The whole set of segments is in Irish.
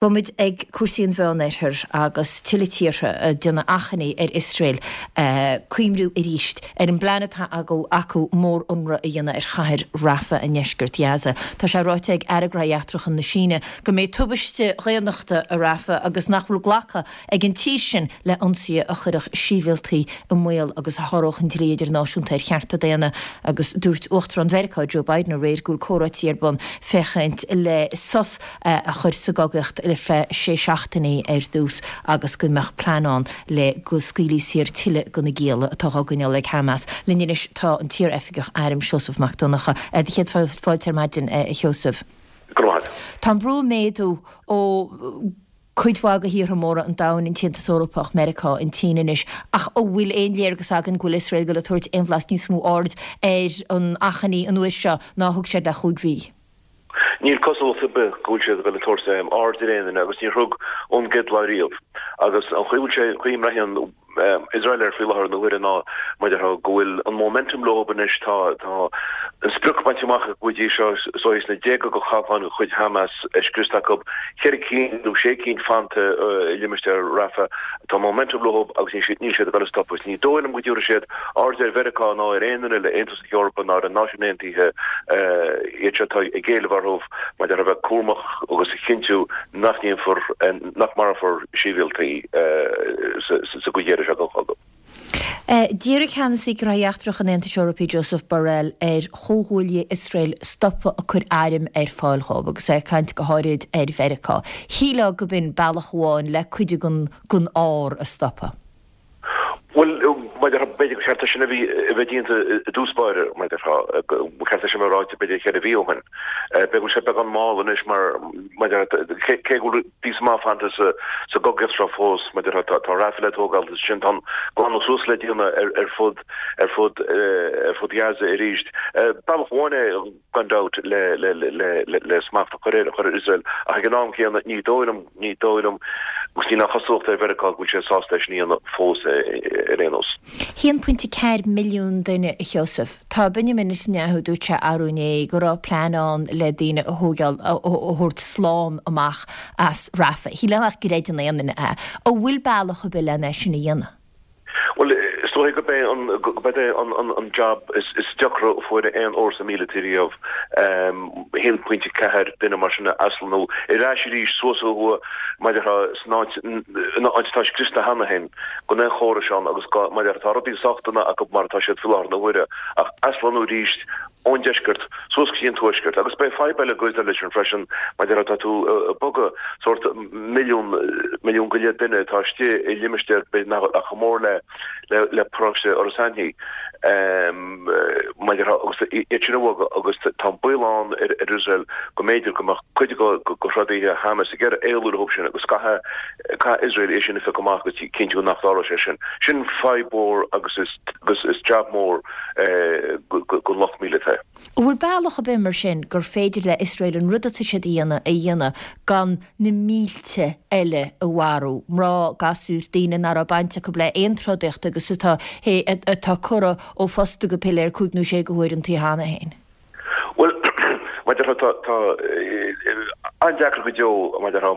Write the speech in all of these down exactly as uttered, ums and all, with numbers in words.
Táimid ag cúrsaí an Mheánoirthir agus tuilleadh tíortha ag déanamh achainí ar Iosrael cuimhniú arís ar an bplean atá acu mórionradh a dhéanamh ar chathair Rafah i ndeisceart Ghaza. Tá sé ráite ag Aire Gnóthaí Eachtracha na Síne go mbeidh tubaiste dhaonnachta i Rafah agus nach bhfuil glactha ag an tír sin le hionsaithe a chuirfeadh sibhialtaigh i mbaol agus a sháródh an dlí idirnáisiúnta ar chearta daonna agus dúirt Uachtarán Mheiriceá Joe Biden aréir go bhfuil comhráití ar bun féachaint le sos a chur sa gcogaíocht ar feadh sé seachtainí ar dtús agus go mbeadh plean ann le go scaoilfí saor tuilleadh de na gialla atá á gcoinneáil ag Hamas. Linn anois tá an t-iaroifigeach airm Seosamh Mac Donncha. Do chéad fáilte ar maidin, a Sheosaimh. Go raibh maith. Tá an brú ag méadú ó cuid mhaith de thíortha móra an domhain, an tAontas Eorpach, Meiriceá, an tSín anois, ach an bhfuil aon léargas againn go bhfuil Iosrael ag dul ag tabhairt aon bhlas níos mó aird ar an achainí an uair seo ná a thug siad le chúig mhí? Níl cosúlacht ar bith go bhfuil siad ag dul ag tabhairt aird ar aon duine agus níor thug ón gcéad lá riamh. Agus an chaoi bhfuil sé, chaoi a mbraitheann Iosrael air faoi láthair na huaire ná mar déarfá go bhfuil an momentum leo anois, tá tá an sprioc bainte amach acu go dtí seo, is dóigh sna déaga de chabhláin de chuid Hamas scriosta acu, ceithre cinn nó sé cinn fanta i limistéar Rafah. Tá momentum leo agus níl siad níl siad ag dul ag stopadh. Ní dóigh liom go dtabharfaidh siad aird ar Mheiriceá ná ar aon duine eile, Aontas na hEorpa ná ar an Náisiúin Aontaithe, iad seo atá ag éileamh orthu maidir le bheith cúramach agus a chinntiú nach ndéanfar, nach marfar sibhialtaigh sa gcuid dheiridh seo den chogadh. D'iarr Ceannasaí Gnóthaí Eachtracha an Aontais Eorpaigh Josep Borrell ar chomhghuaillithe Iosrael stopadh ag cur airm ar fáil dhóibh agus é ag caint go háirid ar Mheiriceá. Shílfeá gurb in bealach amháin le cuid den ár a stopadh. Bhuel, mar déarfá, b'fhéidir gur cheart é sin a bhí a bheith déanta i dtús báire, mar déarfá, ba cheart é sin a bheith ráite b'fhéidir ceithre mhí ó shin. B'fhéidir go bhfuil sé beagán mall anois mar, mar déarfá, cé go bhfuil píosa maith fanta sa sa gcogaíocht seo fós, mar déarfá, tá tá Rafah le tógáil agus ansin tá an glanadh suas le déanamh ar ar fud ar fud ar fud Gaza arís. Bealach amháin é gan dabht le le le le le smacht a chur ar chur ar Iosrael ach ag an am céanna ní dóigh liom Ní dóigh liom, agus níl aon chosúlacht ar Mheiriceá go bhfuil sé sásta é sin a dhéanamh fós ar aon nós. haon pointe ceathair milliún duine, a Sheosaimh. Tá Benjamin Netanyahu, dúirt sé arú inné go raibh plean ann le daoine a thógáil, a thabhairt slán amach as Rafah. Shílfeá nach gcreideann aon duine é. An bhfuil bealach ar bith len é sin a dhéanamh? Bhuel, is dóigh gurb é an gurb é an an an jab is is deacra a fuair aon fhórsa míleata riamh, a haon pointe ceathair duine mar sin a aslonnú ar ais arís suas ó thuaidh mar déarfá san áit in áit atá scriosta cheana féin gan aon chórais ann agus mar déarfá tá rudaí sách dona acu mar atá siad faoi láthair na huaire ach aslonnú arís ón deisceart suas go dtí an tuaisceart. Agus beidh fadhb eile ag Iosrael leis sin freisin, mar déarfá tá tú ag bogadh sórt milliún, milliún go leith duine atá istigh i limistéar b'fhéidir nach bhfuil ach chomh mór le le paróiste Iorras Aithní, mar déarfá, agus iad sin a bhogadh agus tá an baol ann ar Iosrael go mb'fhéidir go mbeadh cuid de throdaithe Hamas ag iarraidh éalú leo sin agus caithfidh caithfidh Iosrael é sin a phiocadh amach agus cinntiú nach dtarlóidh sé sin. Sin fadhb mhór agus is agus is jab mór don lucht míleata. An bhfuil bealach ar bith mar sin gur féidir le Iosrael an rud atá siad a dhéanamh a dhéanamh gan na mílte eile a mharú, mná, gasúir, daoine nach raibh baint acu le aon trodaíocht agus atá atá curtha ó phosta go piléar cúig nó sé de huaireantaí cheana féin? Bhuel, mar déarfá, tá tá an-deacair go deo, mar déarfá,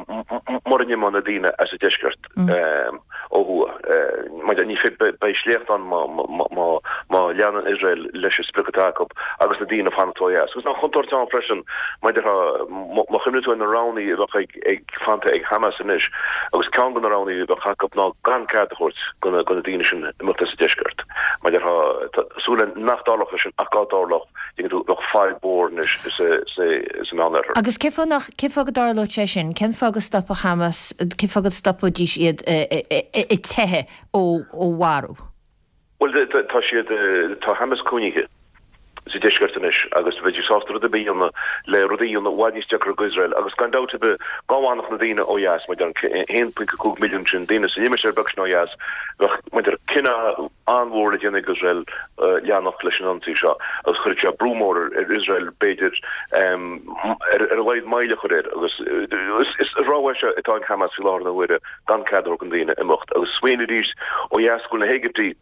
mura n-imeoidh na daoine as an deisceart ó thuaidh. Mar ní féidir, beidh sléacht ann má má má leanann Iosrael leis an sprioc atá acu agus na daoine ag fanacht ó dheas. Agus tá an chontúirt ann freisin, mar déarfá, má chuimhníonn tú ar na roghanna a bheadh ag ag fanta ag Hamas anois agus ceann de na roghanna a bheadh acu ná gan cead a thabhairt do na daoine sin imeacht as an deisceart. Mar déarfá, tá súil againn nach dtarlódh sé sin ach dá dtarlódh, tuigeann tú, bheadh fadhb mhór anois sa Meánoirthear. Agus cén fáth nach, cén fáth go dtarlódh sé sin? Cén fáth go stopfadh Hamas, cén fáth go stopfaidís iad ag teitheadh ó mharú? Bhuel, tá siad, tá Hamas cúinnithe sa deisceart anois agus bheidís sásta rud ar bith a dhéanamh le rudaí a dhéanamh i bhfad níos deacra d'Iosrael agus gan dabht ar bith dá bhfanfadh na daoine ó dheas, mar déarfá, an a haon pointe cúig milliún sin daoine sa limistéar beag sin ó dheas, bheadh, mar déarfá, cinneadh an-mhór le déanamh ag Iosrael leanacht leis an ionsaí seo agus chuirfeadh sé brú mór ar Iosrael b'fhéidir ar a laghad moill a chur air agus is rogha é seo atá ag Hamas faoi láthair na huaire. gan cead a thabhairt do na daoine imeacht. Agus smaoinigh arís ó dheas go bhfuil na hÉigiptigh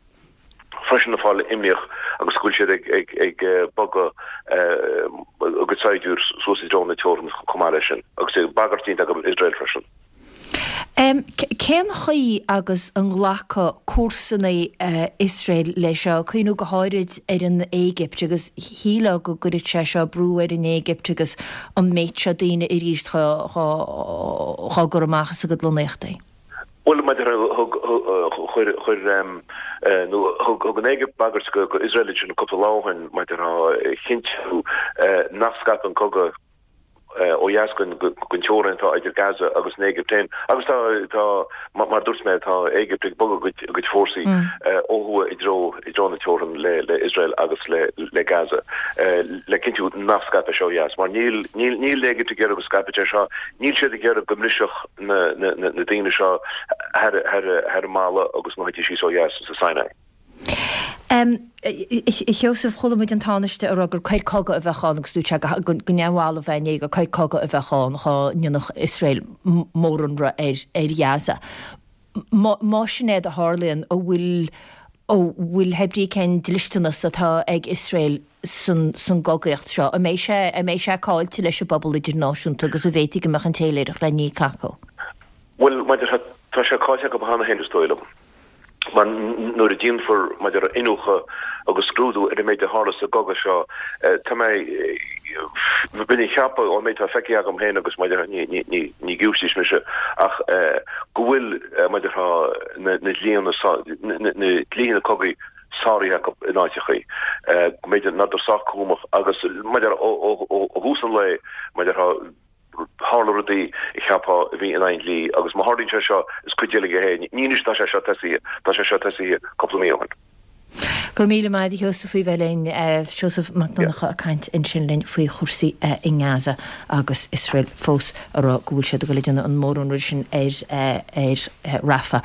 freisin ag fáil imníoch agus go bhfuil siad ag ag ag bogadh a gcuid saighdiúir suas i dtreo na teorann chomh maith leis sin agus bagairt déanta acu Iosrael freisin. Cén chaoi agus an nglacfaidh comharsanaí Iosrael leis seo, cuimhniú go háirid ar an Éigipt agus shílfeá go gcuirfeadh sé seo brú ar an Éigipt agus an méid seo daoine arís dhá gcur amach as a gcuid lonnaíochtaí? Bhuel, maidir thug chuir chuir nó thug an Éigipt bagairt go Iosrael ansin cúpla lá ó shin maidir a chinntiú nach scaipfeadh an cogadh ó dheas den teorainn atá idir Gaza agus an Éigipt féin. Agus tá, tá, mar dúirt mé, tá Éigipt ag bogadh a gcuid fórsaí ó thuaidh i dtreo, i dtreo na teorann le, le Iosrael agus le, le Gaza le cinntiú nach scaipfidh sé ó dheas. Mar níl, níl, níl an Éigipt ag iarraidh go scaipfeadh sé seo, níl siad ag iarraidh go mbrisfeadh na, na, na, na daoine seo thar, thar, thar an mballa agus go dtí síos ó dheas sa Sinai. A Sheosaimh, chuala muid an Tánaiste ag rá gur coir cogaidh a bheadh ann agus dúirt sé go neamhbhalbh é inné gur coir cogaidh a bheadh ann dhá ndéanfadh Iosrael mórionradh ar Ghaza. Más sin é a tharlaíonn, an bhfuil an bhfuil hé brí cén dlisteanas atá ag Iosrael san gcogaíocht seo? An mbeidh sé an mbeidh sé caillte leis an bpobal idirnáisiúnta agus an bhféadfaidh go mbeadh an téiléireacht le n-íoc acu? Bhuel, maidir tá sé caillte acu cheana féin is dóigh liom. Mar nuair a déanfar maidir le iniúchadh agus scrúdú ar an méid a tharla sa gcogadh seo, tá mé, bheinn ag ceapadh ón méid atá feicthe agam féin agus maidir ní, ní, ní, ní giúistís mise ach go bhfuil maidir na, na dlíthe, na, na dlíthe na cogaidh sáraithe acu in áiteachaí, go mb'fhéidir nach raibh sách cúramach agus maidir ó, ó, ó thús an lae maidir Tharla rudaí a cheapfá a bhí in aghaidh an dlí agus má tharlaíonn sé seo is cuid uilig é. Ní anois atá sé seo tosaithe, tá sé seo tosaithe cúpla mí ó shin. Go raibh míle maith agat a Sheosaimh faoi bheith linn. Seosamh Mac Donncha ag caint ansin linn faoi chúrsaí i nGaza agus Iosrael fós ag rá go bhfuil siad ag dul a déanamh an mórionradh sin ar Rafah.